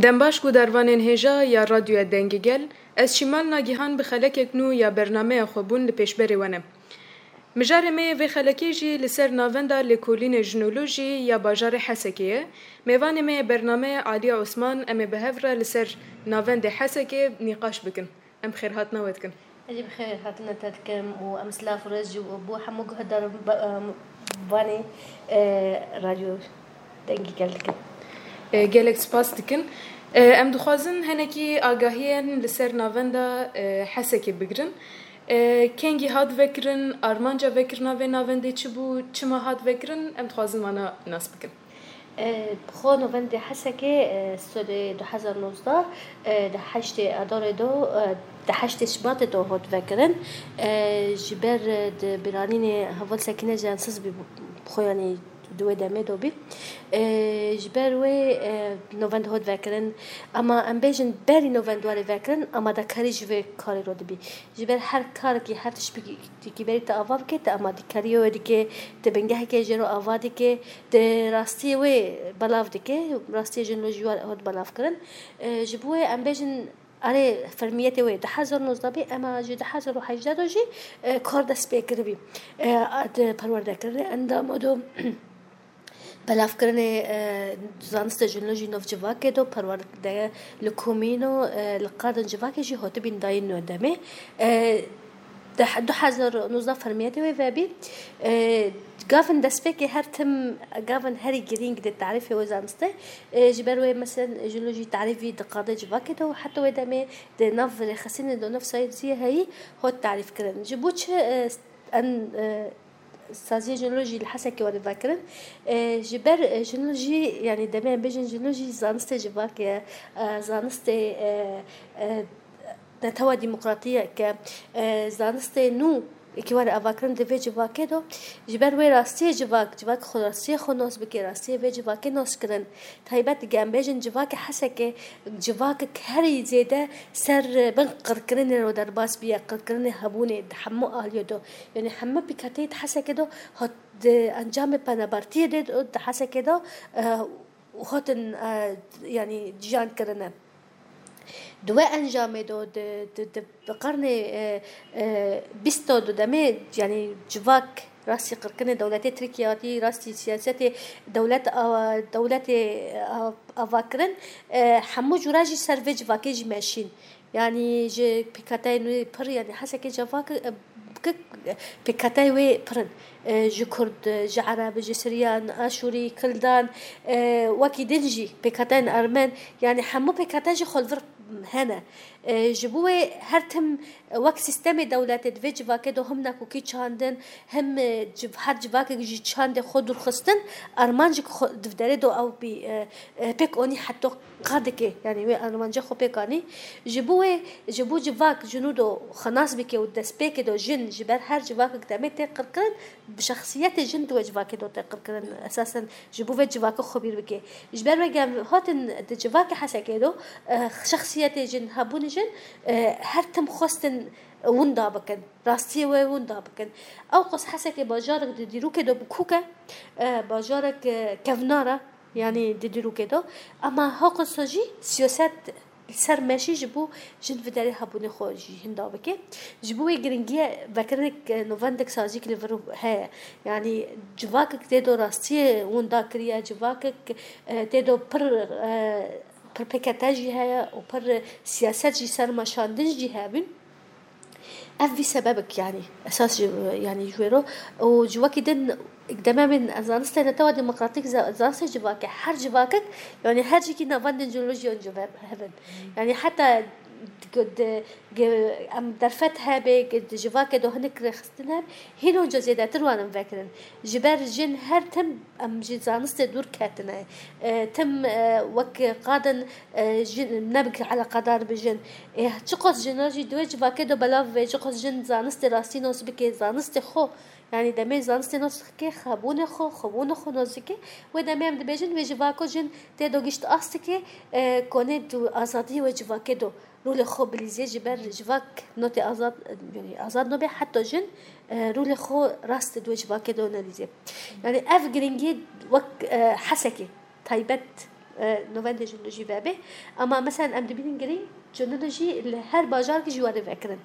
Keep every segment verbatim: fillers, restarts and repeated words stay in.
Dembaş gudarvanên hêja ya Radyoya Dengê Gel, ez Şîmal Nagihan bi xelekek nû ya bernameya xwe bûn li pêşberê we ne. Mijarê me yê vê xelekê jî li ser navenda lêkolînê jinolojî ya bajarê Hesekê ye. Mêvanê me yê bernameyê Aliye Osman, em ê bi hev re li ser navendê Hesekê nîqaş bikin. Em bi xêrhatina we dikin. Ez jî bi xêr hatina te dikim û em silav û rêz jî bo hemû guhdarvanê, e, Radyo Dengê Gel dikin. E, gelek spas dikin. E, em dixwazin hinekî agahiyên li ser navenda, e, Hesekê bigirin. E, kengî hat vekirin, armanca vekirina vê navendê çi bû, çima hat vekirin, em dixwazin wana nas bikin. E, bi xwe navendê Hesekê, e, serê du hezar nozdeh, e, di heştê Adarê de, e, di heştê Şibatê de hat vekirin. E, ji ber, e, di bîranînê heval Sekîne Jensiz bî, bi xwe, yanî di wê demê de bî. E, ji ber wê, e, navend hat vekirin. Ama em bêjin berî navend were vekirin, amadekarî ji vê karê re dibî. Ji ber her karekî, her tiştekî berî te ava bike, te amadekariya wê dike, te bingeheke jê re ava dike, te rastiyê wê belav dike, rastiyê jinolojî wê hat belav kirin. E, ji bo wê em bêjin, erê, fermiyetê wê du hezar nozdeh bî, ema ji du hezar û hejdeh de jî, e, kar dest pê kiribî. E, di perwerdekirinê endam û do belavkirinê, e, zanistê jinolojî nav civakê de, perwerde li komîno, e, li qadên civakê jî hatibîn dayîn wê demê. E, di he-, du hezar û nozdeh fermiyetê wê vebî. E, gavin destpêkê her tim, gavin herî girîng di tarîfê wê zanistê. E, ji ber wê, meselen, jinolojî tarîfî di qadê civakê de û heta wê demê di nav rêxistinê de, nav sayêziyê heyî, hat tarîf kirin. Ji bo çi, e, en, e, saziyê jinolojî li Hesekê were vekirin. E, ji ber, e, jinolojî, yanî demê em bêjin jinolojî zanistê civakê ye, e, zanistê, e, e, netewa demokratiyek e, e, zanistê nû yekî were avakirin di vê civakê de. Ji ber wê rastiyê civak, civak xwe rastiyê xwe nas bike, rastiyê vê civakê nas kirin. Taybet dike em bêjin civakê Hesekê, civakek herî zêde ser bin qirkirinê re derbas bûye, qirkirinê hebûnê di hemû aliyê de. Yanî hemû pêkhateyê di Hesekê de hat, di encamê penabertiyê de, di Hesekê de, e, hatin, e, yanî ciyan kirine. Di wê encamê de, di, di, di, di qernê, e, e, bîst de demê, yanî civak rastî qirkirinê dewletê Tirkiye hatî, rastî siyasetê dewlet a-, dewletê a-, ava kirin, e, hemû cûra jî ser vê civakê jî meşîn. Yanî ji pêkhateyên wê pir, yanî Hesekê civak, e, kik, pêkhateyê wê pir in. E, ji Kurd, ji Ereb, ji Siryan, Aşûrî, Kildan, e, wekî din jî pêkhateyên Ermen, yanî hemû pêkhateyên ji xwe li vir hene. E, ji bo wê her tim wek sîstemê dewletê di vê civakê de him nakokî çandin, him, e, civ-, her civakek ji çandê xwe dûr xistin, armancek xwe di derê de ew bî, e, e, pêk anî heta qadikê, yanî wê armanca xwe pêk anî. Ji bo wê, ji bo civak ji nû de xwe nas bike û destpêkê de jin ji ber her civakek demê tê qirkirin, bi şexsiyetê jin di wê civakê de tê qirkirin. Esasen ji bo vê civakê xwe bîr bike. Ji ber wê gel hatin di civakê Hesekê de, e, şexsiyetê jin, hebûnê jin, e, her tim xwestin winda bikin. Rastiyê wê winda bikin. Ewqas Hesekê bajarek di dîrokê de bikûk e, e, bajarek, e, kevnar e, yanî di dîrokê de. Ema hewqas jî siyaset li ser meşî ji bo jin vê derê hebûnê xwe jî hinda bike. Ji bo wê giringî ye vekirinek, e, navendek sazîk li vir heye. Yanî civakek tê de rastiyê winda kiriye, civakek, e, tê de pir, e, pir pêkete jî heye û pir siyaset jî ser meşandin jî hebin. Ev vî sebebek, yanî esas ji, yanî ji wê re û ji wekî din demê min zanistê netewa demokratîk, za-, zanistê civakê, her civakek, yanî her cîkî navendên jinolojî an civakê hevin. Yanî heta di, di, em derfet hebe, di civakê de hinek rêxistin hebe, hîn onca zêdetir wan em vekirin. Ji ber jin her tim em ji zanistê dûr ketine. E, tim, e, wek qadin, e, jin, nebik eleqedar bi jin. E, çiqas jina jî di wê civakê de belav be, çiqas jin zanistê rastî nas bike, zanistê xwe, yanî demê zanistê nas bike, xwebûnê xwe, xwebûnê xwe nas bike. Wê demê em dibêjin, wê civako jin tê do gişt astikê, e, konê tu azadiyê wê civakê do rolê xwe bilîzê, ji ber civak notê azad, yanî azad nobe, heta jin, e, rolê xwe rast di wê civakê de nelîzê. Yanî ev giringî wek, e, Hesekê taybet e, novendê jenolojî vebe. Ama mesela em dibînin girîng jenolojî li her bajarkî jî were vekirin.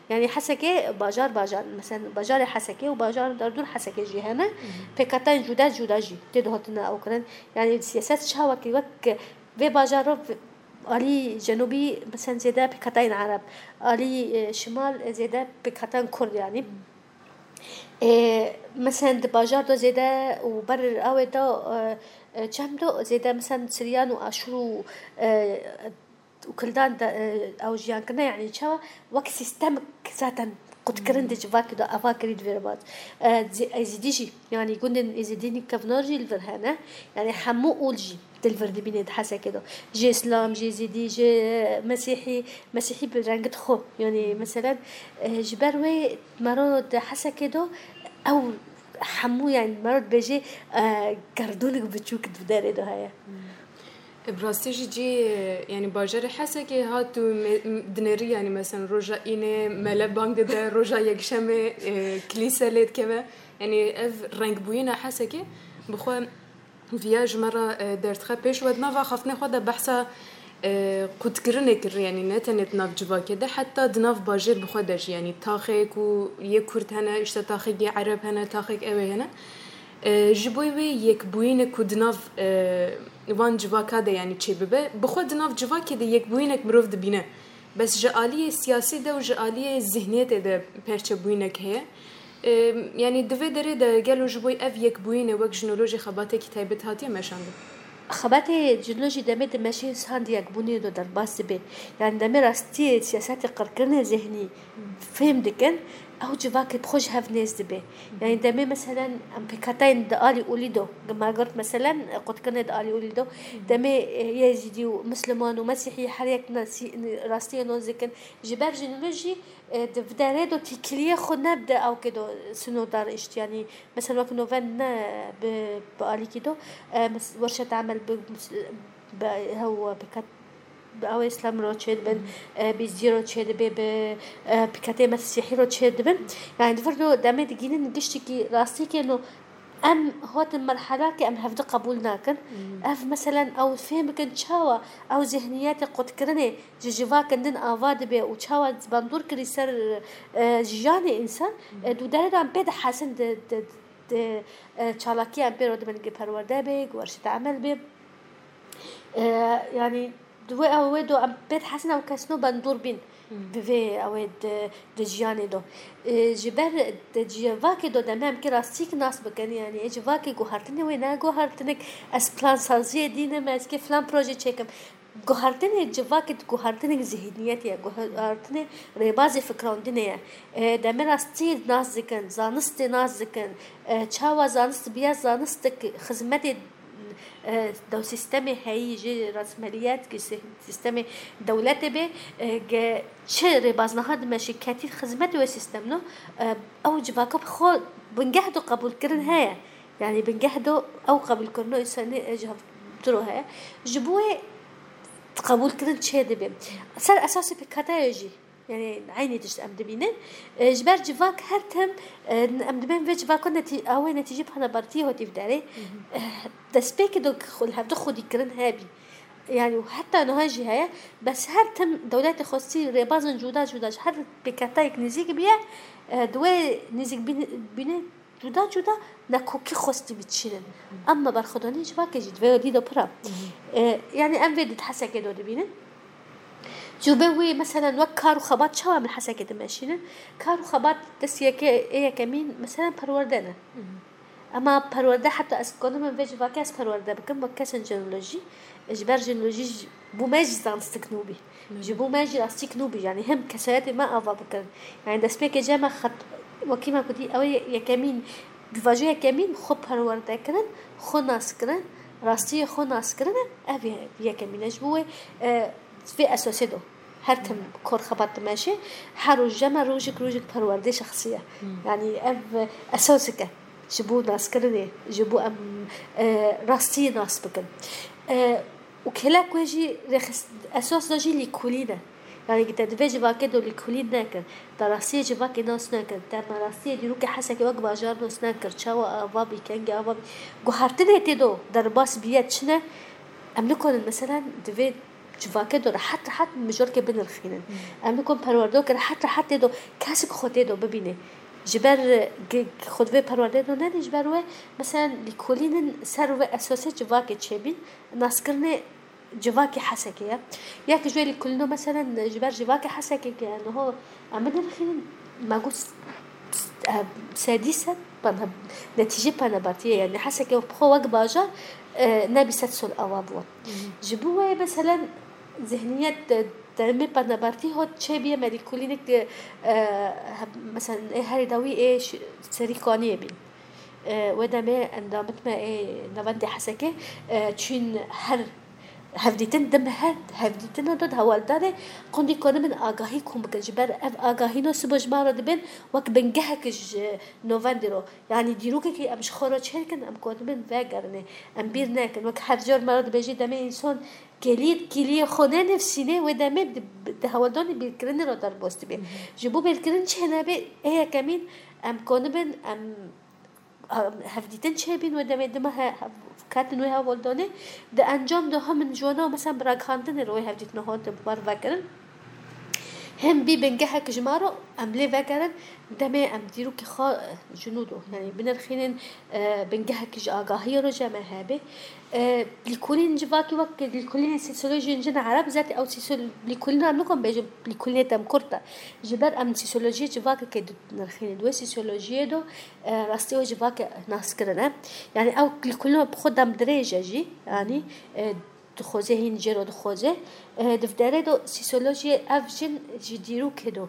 Yani Hesekê bajar bajar, mesela bajarê Hesekê û bajar derdûr Hesekê jî hene. Pêkhatayên cuda cuda jî tê de hatine ew kirin. Yani siyaset çawa ki wek vê bajaro v-, alî cenûbî mesela zêde pêkhatayên Ereb, alî, e, şimal zêde pêkhatayên Kurd yani. E, mesela di bajar de zêde û ber awê de, e, e, çem de zêde mesela Siryan û Aşûr û, e, û Kildan de, e, ew jiyan kirine, yani çawa wek sîstemik zaten qutkirin di civakê de ava kirî di vê re vat. E, Zî-, Êzîdî jî, yani gundên Êzîdî kevnar jî li vir hene. Yani hemû ol jî di li vir dibîne di Hesekê de. Ji Îslam, ji Êzîdî, ji Mesîhî, Mesîhî bi rengit xwe. Yani meselen, e, ji ber wê mero di Hesekê de ew hemû, yani mero dibêje, e, gerdûnik biçûk di derê de heye. Bi rastî jî cî, yani bajarê Hesekê hat û me-, m-, dinêrî, yani mesela roja înê mele bang dide, roja yekşemê, e, kilîse lê dikeve. Yani ev rengbûyîna Hesekê bi xwe viya ji me re, e, derdixe pêş. We di nava axaftinê xwe de behsa, e, qutkirinê kir, yani ne tenê di nav civakê de, heta di nav bajêr bi xwe de jî, yani taxê ku yê Kurd hene, işte taxekî Ereb hene, taxek ew ê hene. E, ji bo wê yekbûyînê ku di nav, e, van civaka de, yani çêbibe, bi xwe di nav civakê de yekbûyînek mirov dibîne. Bes ji aliyê siyasî de û ji aliyê zihniyetê de perçebûyînek heye. E, yani di vê derê de gelo ji bo ev yekbûyînê wek jinolojî xebatekî taybet hatiye meşandin? Xebatê jinolojî demê dimeşê sand yekbûnê de derbas dibe. Yani demê rastiyê siyasetê qirkirinê zihnî fêm dikin, ew civakê bi xwe ji hev nêz dibe. Yani demê meselen em pêkhatayên di alî olî do, Margaret meselen, e, qutkirinê di alî olî do, demê, e, Yezîdî û Misliman û Mesîhî her yek nasî-, rastiyê nas dikin. Ji ber jinolojî, e, di vê derê do têkiliyê xwe ne bi de ewkê do sinodar işt, yani mesela wek noven ne bi, bi alîkî do, e, mes-, werşet emel bi, bi hew pêkat bi ew Îslam ro çêdibin, e, bi Êzidî ro çêdibe, bi, e, pêkatê Mesîhî ro çêdibin. Yani di vir do demê digînin giştikî rastîkê no em hatin merhelakê em hevdi qebûl nakin. Ev meselen ew fêm bikin çawa ew zihniyetê qutkirinê ji civakin din ava dibe û çawa bandor kirî ser, e, jiyanê însan, e, di derê de em pê dihesin di, di, di, e, çalakiya em pê re dibin, gi perwerde be, gi werşete emel be. E, yani, di wê ew wê do em pê dihesin ew kesno bandor bîn bi vê ew ê di, di jiyanê do. E, ji ber di civakê do demê em ki rastîk nas bikin, yani, ê civakê guhartinê wê ne guhartinik, ez plansaziyê dînim, ez ki filan proje çêkim. Guhartinê civakê di guhartinê zihniyetê ye, guhartinê rêbazê fikrandinê ye. E, demê rastî nas dikin, zanistê nas dikin. E, çawa zanist biya zanistik xizmetê, e, dew sîstemê heyî jî rasmeliyet ki sî-, sîstemê dewletê bê, e, ge çi rêbaznaha dimeşî ketî xizmetê wê sîstem no, e, ew civaka bi xwe bingeh do qebûlkirin heye. Yani bingeh do ew qebûlkirino însanî, e, ji hev diro heye. Ji bo wê qebûlkirin çê dibe. Ser esasê pêkhatayê jî, yani eynî tişt em dibînin. E, ji ber civak her tim, e, em dibên vê civaka netî-, ew ê netîcê penabertiyê hatî vî derê. E, destpêkê do xwe li hevdu xwedîkirin hebî. Yani heta niha jî heye. Bes her tim dewletê xwestî rêbazên cuda cuda ji her pêkhatayek nêzîk biye, e, di wê nêzîk bîn-, bîne cuda cuda nekokî xwestî biçînin. Em me berxwedanî civakê jî di vê dî de pir e. E, yani em vê di Hesekê de dibînin. Ji bo wê, meselen, wek kar û xebat çawa em li Hesekê dimeşînin? Kar û xebat dest yekê, ê yekemîn, meselen, perwerde ne. Ema perwerde, heta ez kanim vê civakê ez perwerde bikim, wek kesên jenolojî, ji ber jenolojî ji bo me jî zanistik nû bî. Ji bo me jî rastîk nû bî. Yani hem kesayetê me ava bikirin. Yani destpêkê cem me xet-, wekî me kutî, ew ê yekemîn, pîvajo yekemîn xwe perwerde kirin, xwe nas kirin, rastiyê xwe nas kirine, ev ye-, yekemîn e. Ji bo wê, e, vê esasê do. Her tim kor xebat dimeşe, her roj cem me rojek rojek perwerdê şexsî ye. Yani ev esasek e. Ji bo naskirinê, ji bo em, e, rastiyê nas bikin. E, û kêlek wê jî rêxist-, esas de jî lîkolîn e. Yani te di vê civakê do lîkolîn nekir, te rastiyê civakê nas nekir, te me rastiyê dîrokê Hesekê wek bajar nas nekir, çawa ava bî, kengê ava bî. Guhertinê tê do derbas bîye çi ne? Em nikonin, meselen, di vê civakê de rehet rehet mijorkê binirxînin. Em nikonin perwerdokê rehet rehet tê de kesik xwe tê de bibîne. Ji ber, e, ge-, xwe di vê perwerdê de nedî, ji ber wê, meselen, lîkolînin ser wê esasê civakê çêbîn, naskirinê civakê Hesekê ye. Ya ki ji wê lîkolîno, meselen, ji ber civakê Hesekê ke niho em binirxînin, me got, s-, s-, e, sedî sed pana-, netîcê Penabertiyê ye. Yani Hesekê bi xwe wek bajar, e, nebî sed sol ava bû. Ji bo wê, meselen, zihniyet, e, demê Penabertî hot çêbîye, me lîkolînik, e, e, he-, meselen, ê herî dawî ê ş-, Serîkaniyê bîn. E, wê demê endamit me ê Navendê Hesekê, e, çûn her hevdîtin, di mehe hevdîtina de di hewldanê qundî konibin agahî kom bikin. Ji ber ev agahîno sibo ji me re dibin wek bingehek ji novendê ro. Yanî dîrokekî em ji xwe re çêdikin, em konibin vegerine. Em bîr nekin. Wek her car me re dibêjî demê însan kêliyê, kêliyê xwe nenivsîne, wê demê di, di hewldanê bîrkirinê re derbas dibe. Ji bo bîrkirin çênebe, ê yekemîn em konibin, em hevdîtin çêbîn, wê demê dima he-, hev-, ketin wê hevaldanê, di encam de hem min ji wana, mesela, bi ragihandinê re wê hevdîtina hate parvekirin. Hem bî bingehek ji me re em lê vegerin, demê em dîrokê xwe, e, ji nû do, yani binirxînin, e, bingehek ji agahiyê re ji me hebe. E, lîkolîn civakî wek lîkolînê sîsolojiyên cin ereb, zaten ew sîsol-, lîkolîna em nikom bêjin lîkolînê temkurt e. Ji ber em sîsolojiyê civakekê dinirxînin. Di wê sîsolojiyê de e, rastî wê civakê nas kirine. Yani ew lîkolîno bi xwe demdirêj e jî, yani, e, dixwaze hîn jê re dixwaze. E, di vê derê de sîsolojiyê ev jin ji dîrokê de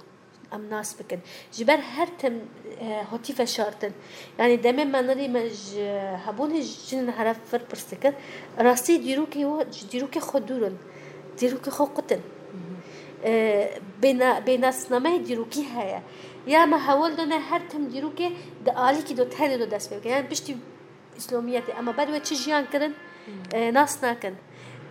em nas bikin. Ji ber her tim, e, hatî veşartin. Yani demê me nirî me ji hebûnê jin heref vir pirs dikir. Rastî dîrokê wan ji dîrokê xwe dûr in. Dîrokê xwe qutin. E, bêna-, bênasnameyê dîrokî heye. Ya me hewl dane her tim dîrokê di alîkî de tenê de dest pê bike. Yani piştî Îslamiyetê. Ama ber wê çi jiyan kirin, e, nas nakin.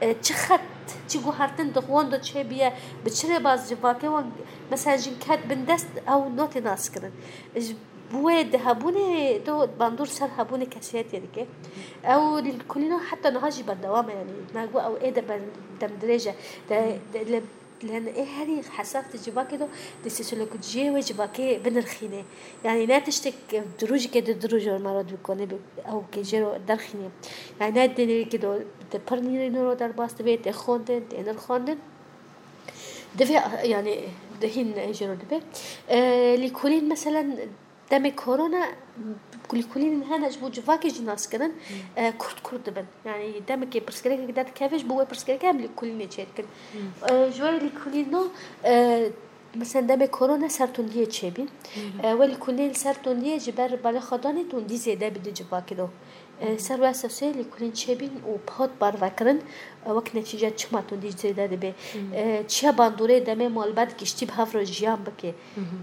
E, çi xet, çi guhertin di wan de çêbiye, bi çi rêbaz civakê wan, mesela jin ket bin dest, ew notê nas kirin. Ji bo wê di hebûnê de bandor ser hebûnê kesiyetê dike. Ew lîkolîna heta niha jî berdewam e, yani. Me got ew ê de ber-, demdirêj e. De, de, li Lê ê herî hesas di civakê de, di sîsolojiyê wê civakê binirxîne. Yani ne tiştek di rojekê de du roj me re dikone bi ew kê jê re derxîne. Yani ne di nêrîkê de, di pir nîrîno re derbas dibe, tê xwendin, tê nirxandin. Divê, yani, di hîn jê re dibe. E, lîkolîn, meselen, Demê korona, lîkolînên hene ji bo civakê jî nas kirin, e, kurt kurt dibin. Yani demekê pirsgirêkek derdikeve, ji bo wê pirsgirêkê em lîkolînê çêdikin. E, ji wê lîkolîno, e, mesela demê korona ser tundiyê çêbîn. E, wê lîkolînê li ser tundiyê ji ber balêxwedanê tundî zêde bî di civakê de. E, ser wê esasê lîkolîn çêbîn û hot parvekirin, e, wek netîce çima tundî zêde dibe. E, çiya bandorê demê malbat giştî bi hev re jiyan bike.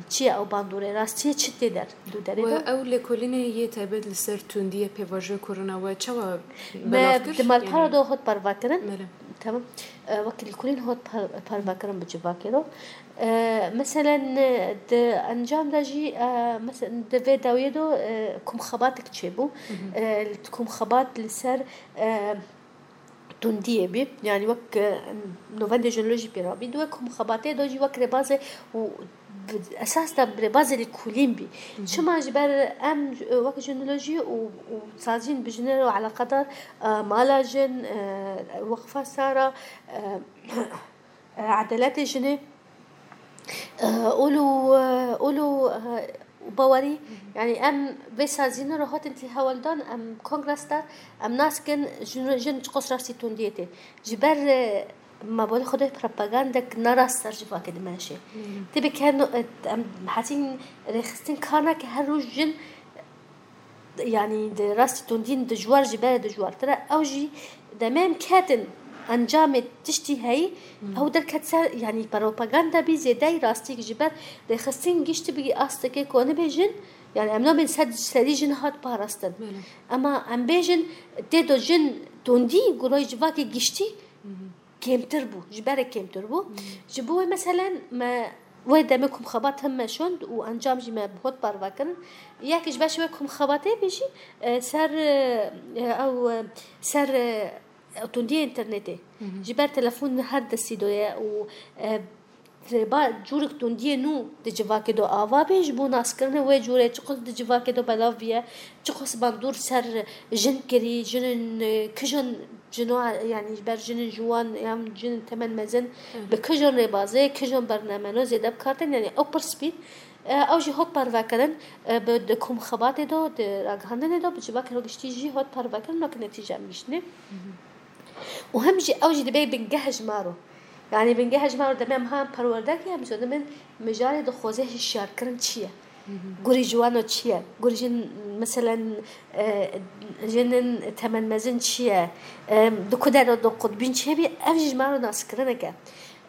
Çi ye ew bandorê? Rastiyê çi tê der? Du derê Wê de? Ew lêkolînê yê taybet li ser tundiyê pêvajoya korona we çawa Me belav kir? Di malpera de hot parve kirin. Belê. Tamam. E, wekî lêkolîn hot par-, parve kirin bi civakê re. E, meselen, e, di encam de jî, e, meselen, di vê dawiyê de, e, komxebatek çêbû. E, komxebat li ser, e, tundiyê bî. Yani wek, e, novendê jenolojî pê rabî. Di wê komxebatê de jî wek rêbazê û bi esas de rêbazê lêkolîn bî. Çima ji ber em, e, wek jenolojî û, û saziyên bi jinê re eleqedar, e, mala jin, e, weqfa Sara, e, e, edaletê jinê, e, ol û, e, ol û, e, bawerî, yani em vê sazînê re hatin tê hewldan, em kongres de, em nas kin jin, jin çiqas rastî tundiyê tê. Ji ber, e, me bolê xwe de propagandek narast ser civakê dimeşe. Tê bi ker no-, e, em hesîn rêxistin kar nake her roj jin Yani di rastî tundîn dijwar jî bere dijwartir e. Ew jî demê em ketin encamê tiştî heyî, ew derket ser, yani propaganda bî zêdeyî rastî ji ber rêxistin giştî bî astekê ku nibêjin, yani em nabên sed serî jin hat parastin. Belê. Ema em bêjin tê do jin tundî, gurayê civakê giştî, kêmtir bû, ji berê kêmtir bû. Ji bo wê meselen me wê demê komxebat him meşand û encam jî me hot parve kirin. Yek ji beş wê komxebatê bî jî, e, ser, e, ew, e, ser, e, tundiyê înternetê. Ji ber telefon her destî de ye û, e, rêba cûrek tundiyê nû di civakê de ava bê, ji bo naskirinê wê cûrê çiqas di civakê de belav bûye, çiqas bandor ser jin kirî, jinên, e, kijan cino, yanî ji ber jinên ciwan yan jinên temen mezin, bi kijan rêbazê, kijan bernameno zêde bi kar tên, yanî ew pirs bî. E, ew jî hot parvekirin, e, bi, di kom xebatê de, di ragihandinê de, bi civakê re giştî jî hot parvekirin, wek netîce em giştîne. Û hem jî ew jî dibê bingeh ji me re. Yanî bingeh ji me re, demê em ha perwerde kir, em jî dibin mijarê dixwaze hişyarkirin çi ye? Gurî ciwano çi ye? Gurî jin, meselen, e, jinên temenmezin çi ye? E, di ku derê de qutbîn çi hebî? Ev jî ji me re naskirinek e.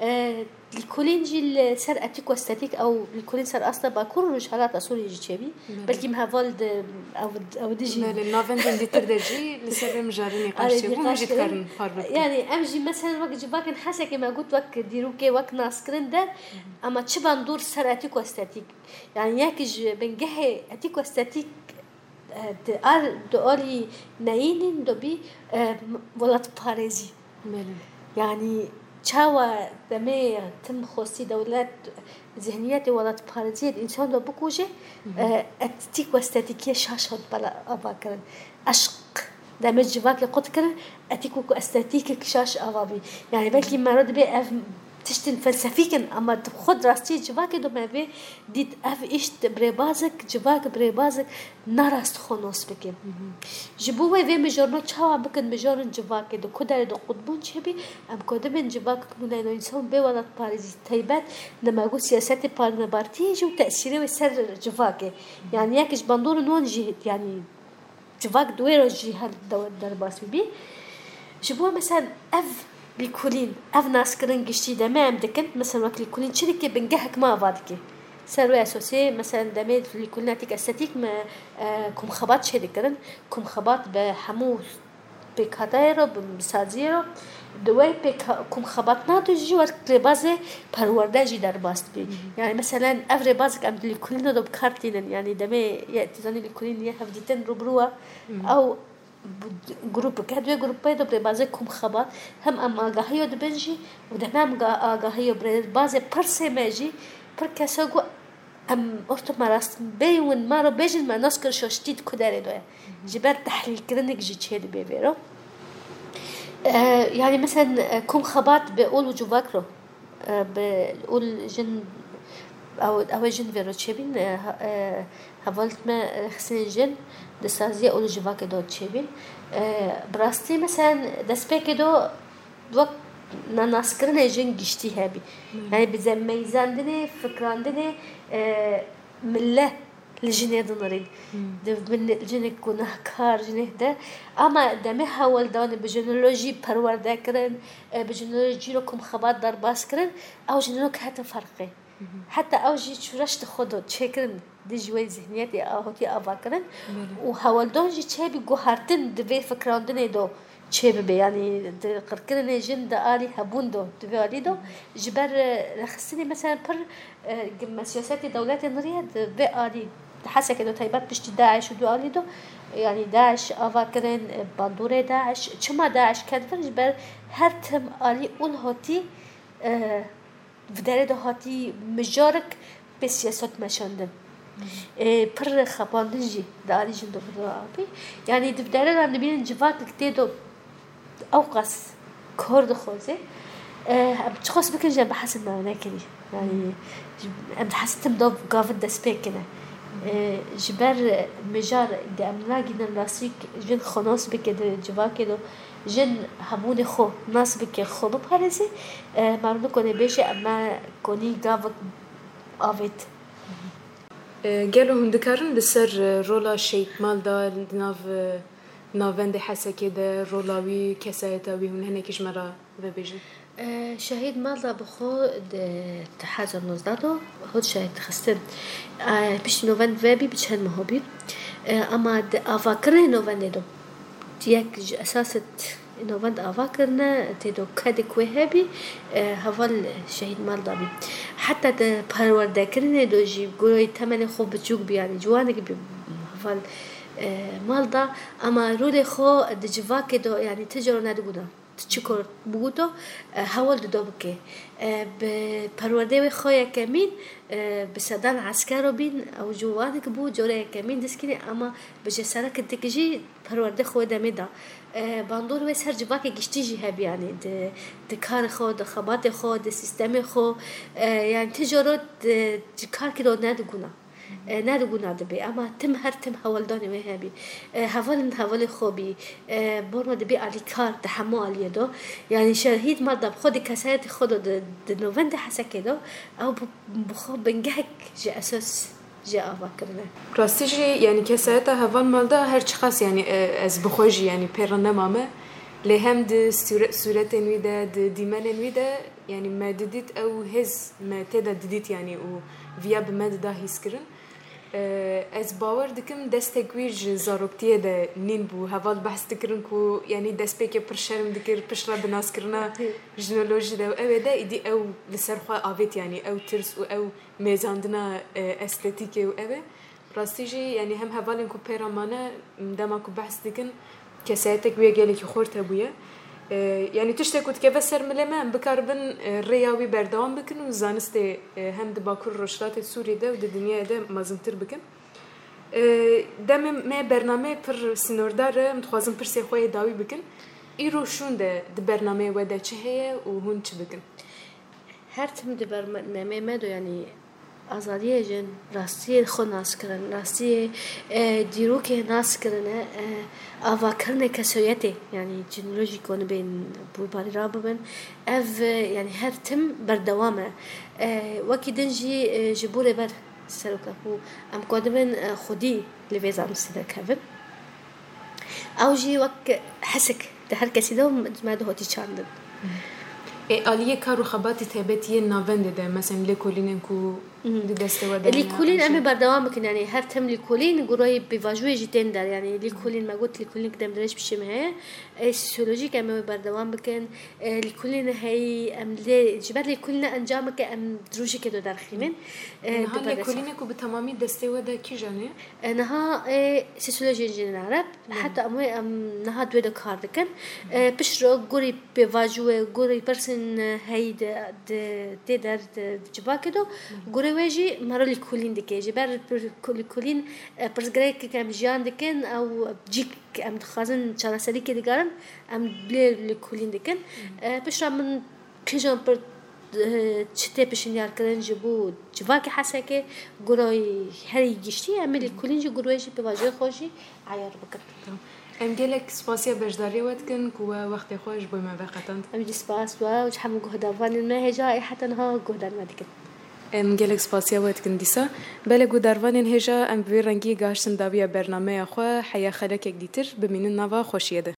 E, lîkolîn jî li ser etîk û estetîk, ew lîkolîn ser asta Bakur û Rojhelata Sûriyê jî çêbî. Belkî em heval di, ew, ew di jî. Belê, navendên dîtir de jî li ser vê mijarê nîqaş çêbû, hûn jî dikarin parve bikin. Yanî em jî mesela wek civakên Hesekê me got wek dîrokê, wek naskirin de, ama çi bandor ser etîk û estetîk. Yanî yek ji bingehê etîk û estetîk, e, di al-, di alî neyînîn de bî, e, welatparêzî. Belê. Yanî çawa demê tim xwestî dewlet zihniyetê welatparêziyê di însan de bikuje, e, etîk û estetîkiyê şaş hat bela ava kirin. Eşq demê civakê qut kirin, etîk û estetîkek şaş ava bî. Yanî belkî mero dibê ev tiştên felsefîk in, ama di xwe di rastiyê civakê de me vê dît, ev îş bi rêbazek, civak bi rêbazek narast xwe nas bike. Ji bo wê vê mijarno çawa bikin, mijarên civakê di ku derê de qutbûn çêbî, em ku dibin civakek nûneyno însan bê welatparêzî taybet, dema ku siyasetê parnebartiyê jî û tesîrê wê ser civakê. Yanî yek ji bandorên wan jî, yanî civak di wê re jî her de-, derbas bibî. Ji bo mesela ev lîkolîn, ev naskirin giştî demê em dikin, mesela wek lîkolîn çi dike, bingehek me ava dike. Ser wê esasê, mesela demê lîkolîn etîk estetîk me, e, komxebat çê dikirin. Komxebat bi hemû pêkhateyê re, bi saziyê re, di wê pêk-, komxebatna de jî wek rêbazê perwerde jî derbas dibî. Yanî meselen ev rêbazek em di lîkolîna de bi kar tînin. Yanî demê ye, tu zanî lîkolîn ye hevdîtin rûbirû e. Ew bu-, grûpek e, di wê grûpê de bi rêbazê komxebat hem em agahiyo dibin jî û demê em ga-, agahiyo bi rêbazê pirsê me jî pir kesa ku em orto me rast bêyî win me re bêjin me nas kir şaştî di ku derê de ye. Ji ber tehlîlkirinek jî çê dibe vê re. E, yanî meselen, e, komxebat bi ol û civak re, e, bi ol jin, ew, ew ê jin vê re çêbîn, e, ha-, e, hevalêt me, e, rêxistinên jin di saziya ol û civakê de çêbîn. E, bi rastî meselen destpêkê de wek na-, naskirinê jin giştî hebî. Yanî bi zemeyzandinê, fikrandinê, e, mille li jinê dinirîn. Di bin jinek gunehkar, jinek de. Ama demê hewldanê bi jinolojî perwerde kirin, e, bi jinolojî re komxebat derbas kirin, ew jinok hete ferqê. Heta ew jî çûreş di xwe de çêkirin, dijî wê zihniyetê a hotî ava kirin. Û hewldan jî çêbî guhertin di vê fikrandinê de çê bibe, yanî di qirkirinê jin di alî hebûn de, di vê alî de, ji ber, e, rêxistinê mesela pir, e, gi me siyasetê dewletê niriye di vê alî, di Hesekê de taybet piştî DAIŞ û du alî de, yanî DAIŞ ava kirin, e, bandorê DAIŞ, çima DAIŞ ket vir, ji ber her tim alî û li hotî, e, Bi derê de hatî mijarek pê siyaset meşandin. Ê, pir xapandin jî di alî jin de bi rû avî. Yanî di derê de em dibînin civakek tê de ewqas kor dixwaze. Ê, em çiqas bikin jî em bi hesed me nekirî. Yanî em di hesed tim de gavin dest pê kine. Ê, ji ber mijar de em nagînin rastî jin xwe nas bike di civakê de. Jin hebûnê xwe nas bike, xwe biparêze, e, me re nikone bêje, em me konî gavek avêt. E, gelo hûn dikarin li ser, e, rola Şehîd Malda di nav, e, navendê Hesekê de, rola wî, kesayeta wî hûn hinekî ji me re vebêjin? E, Şehîd Malda bi xwe di du hezar nozdeh de hat şehîd xistin. E, piştî novend vebî bi çend meha bî. E, ama di avakirinê novendê de yek ji esasê novend ava kirine, tê de kedek wê hebî, e, heval Şehîd Malda bî. Heta di perwerdekirinê de jî, gurayî temenê xwe biçûk bî, yanî ciwanek bî heval, e, Malda, ama rolê xwe di civakê de, yanî ti cara nediguna. Çi kor bûto, e, hewl dido bike. E, bi perwerdê wê xwe yekemîn, e, bi sedan esker û bîn, ew ciwanek bû, cora yekemîn diskirî, ama bi cesaret dik jî perwerdê xwe demê da. E, bandor wê ser civakê giştî jî hebî, yanî di, di karê xwe, di xebatê xwe, di sîstemê xwe, e, yanî ti joro di, di karkî ro nediguna. E, ne li guna dibe, ama tim her tim hewldanê wê hebî. E, hevalin hevalê xwe bî. E, borna dibe alîkar di hemû aliyê de. Yanî şehîd mal da bi xwe di kesayetê xwe de di, di navendê Hesekê de, ew bi, bi xwe bingehek ji esas jê ava kirine. Rastî jî, yanî kesayeta heval mal da her çiqas, yanî, e, ez bi xwe jî, yanî pê re nemame. Lê hem di sûre-, sûretên wî de, di dîmenên wî de, yanî me didît ew hêz me tê de didît, yanî û viya bi me dida hîskirin. Ee, ez bawer dikim destek wî ji zaroktiyê de nîn bû. Heval behs dikirin ku, yanî destpêkê pir şerm dikir, piştre bi naskirina jinolojî de û ew ê de, îdî ew li ser xwe avêt, yanî ew tirs û ew mêzandina, e, estetîkê û ew ê. Rastî jî, yanî hem hevalên ku pê re mane, dema ku behs dikin, kesayetek wê gelekî xurt hebûye. E, yanî tiştek ku dikeve ser milê me, em bikaribin, e, rêya wî berdewam bikin û zanistê, e, hem di Bakur û Rojhilatê Sûriyê de û di dinyayê de mezintir bikin. E, demê me bernameyê pir sînordar e, em dixwazin pirsê xwe yê dawî bikin. Îro şûnde di bernameyê we de çi heye û hûn çi dikin? Her tim di bernameyê me de, yanî azadiyê jin, rastiyê xwe nas kirin, rastiyê, e, dîrokê nas kirine, e, avakirinê kesoyetê, yanî cînolojî ku nibên bûbarî rabibin, ev, e, yanî her tim berdewam e. E, wekî din jî, e, ji bo rêber seroka ku em ku dibin, e, xwedî li vê zanistê derkevin. Ew jî wek hesik di her kesî de me dihotî çandin. Ê aliyê kar û xebatî taybetî yên navendê de, mesela lêkolînên ku di destê we de hene, Lêkolîn em ê berdewam bikin, yanî her tim lêkolîn gurayê pêvajoyê jî tên der, yanî lêkolîn me got lêkolînek demdirêj pişê me heye. Ê sosîolojîk em ê berdewam bikin. Ê lêkolîn heyî em lê, ji ber lêkolîn encameke em di rojekê de derxînin. Ê, Niha di ber lêkolînek ku bi temamî destê we de kîjan e? E, niha, e, sosîolojiyên jinên Ereb, heta em wê em niha di wê de kar dikin. E, piştre gorî pêvajoyê, gorî pirsên, e, heyî de, de, tê der di civakê de, gorê wê jî me re lêkolîn dike. Ji ber pir-, lêkolîn, e, pirsgirêkek em jiyan dikin, ew cîk em dixwazin çareserîkê digarin, em lê lêkolîn dikin. E, piştre min Kîjan pir, eh, çi tê pişinyarkirin ji bo civakê Hesekê, gurayê herî giştî, em ê lêkolîn jî gurê jî pêvajoyê xwe jî eyar bikin. Em gelek spasiya beşdariya we dikin ku we wextê xwe ji bo me veqetand. Em jî spas we û ji hemû guhdarvanên me hêja ê heta niha guhdar me dikin. Em gelek spasiya we dikin dîsa. Belê guhdarvanên hêja, em bi vî rengî gihiştin dawiya bernameya xwe, heya xelekek dîtir, bimînin nava xweşiyê de.